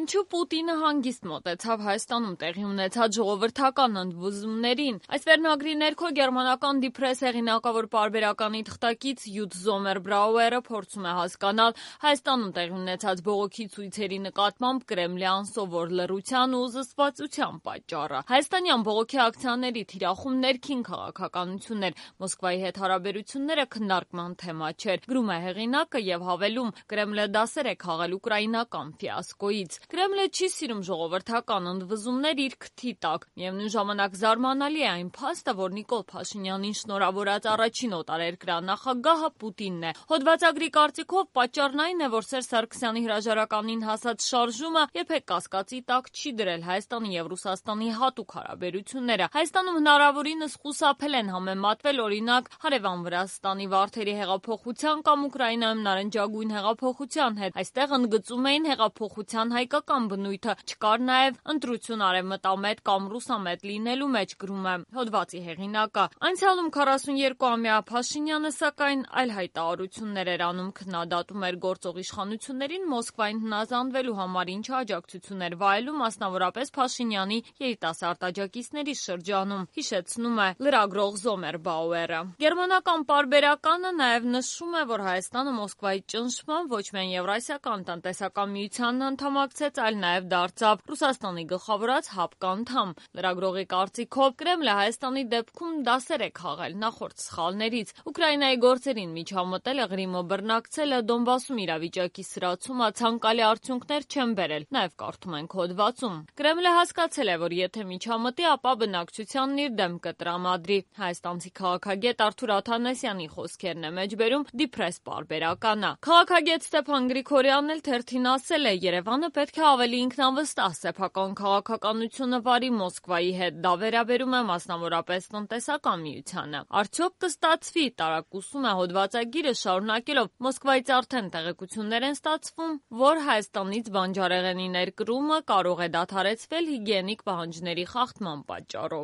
Ինչու Պուտինը հանգիստ մոտեցավ Հայաստանում տեղի ունեցած ժողովրդական ընդվզումներին։ Այս վերնագրի ներքո գերմանական Die Presse հեղինակավոր պարբերականի թղթակից Յուտ Զոմերբրաուերը փորձում է հասկանալ Հայաստանում տեղի ունեցած բողոքի ցույցերի նկատմամբ Կրեմլյան սովոր լռության ու զսպվածության պատճառը։ Հայաստանյան բողոքի ակցիաների թիրախում ներքին քաղաքականությունն էր, Մոսկվայի հետ հարաբերությունները քննարկման թեմա չէր, գրում է հեղինակը եւ հավելում. Կրեմլը դասեր է քաղել ուկրաինական ֆիասկոից։ Կրեմլը չի սիրում ժողովրդական ընդվզումներ իր քթի տակ։ Միևնույն ժամանակ զարմանալի է այն փաստը, որ Նիկոլ Փաշինյանին շնորհավորած առաջին օտարերկրանախագահը Պուտինն է։ Հոդվածագրի կարծիքով պատճառն այն է, որ Սերժ Սարգսյանի հրաժարականին հասած շարժումը երբեք կասկածի տակ չի դրել Հայաստանի եւ Ռուսաստանի հատուկ հարաբերությունները։ Հայաստանում հնարավորինս խուսափել են համեմատվել օրինակ հարևան Վրաստանի Վարդերի հեղափոխության կամ Ուկրաինայում նարնջագույն հեղափոխության հետ։ Այստեղ ընդգծում էին հեղափոխության հայկական բնույթը, չկար նաև ընտրություն արևմտամետ կամ ռուսամետ լինելու մեջ, գրում է հոդվածի հեղինակը։ Անցյալում 42-ամյա Փաշինյանը սակայն այլ հայտարարություններ էր անում, քննադատում էր գործող իշխանություններին Մոսկվային հնազանդվելու համար, ինչը աջակցություն էր վայելում մասնավորապես Փաշինյանի երիտասարդ աջակիցների շրջանում, հիշեցնում է լրագրող Զոմերբաուերը։ Գերմանական պարբերականը նաև նշում է, որ Հայաստանը Մոսկվայի ճնշմամբ ոչ միայն Եվրասիական տնտեսական միությանն անդամակցեց, այլ նաև դարձավ Ռուսաստանի գլխավորած ՀԱՊԿ անդամ։ Լրագրողի կարծիքով Կրեմլը Հայաստանի դեպքում դասեր է քաղել նախորդ սխալներից։ Ուկրաինայի գործերին միջամտելը, Ղրիմը բռնակցելը, Դոնբասում իրավիճակի սրացումը ցանկալի արդյունքներ չեն բերել, նաև կարդում ենք հոդվածում։ Կրեմլը հասկացել է, որ եթե միջամտի, ապա բնակչությանն իր դեմ կտրամադրի։ Հայաստանցի քաղաքագետ Արթուր Աթանասյանի խոսքերն է մեջբերում Die Presse պարբերականը։ Քաղաքագետ Ստեփան Գրիգորյանն էլ թերթին ասել է. Երևանը պետք է ավելի ինքնավստահ սեփական քաղաքականությունը վարի Մոսկվայի հետ, դա վերաբերում է մասնավորապես տնտեսական միությանը։ Արդյոք կստացվի, տարակուսում է հոդվածագիրը շարունակելով. Մոսկվայից արդեն տեղեկություններ են ստացվում, որ Հայաստանից բանջարեղենի ներկրումը կարող է դադարեցվել հիգիենիկ պահանջների խախտման պատճառով։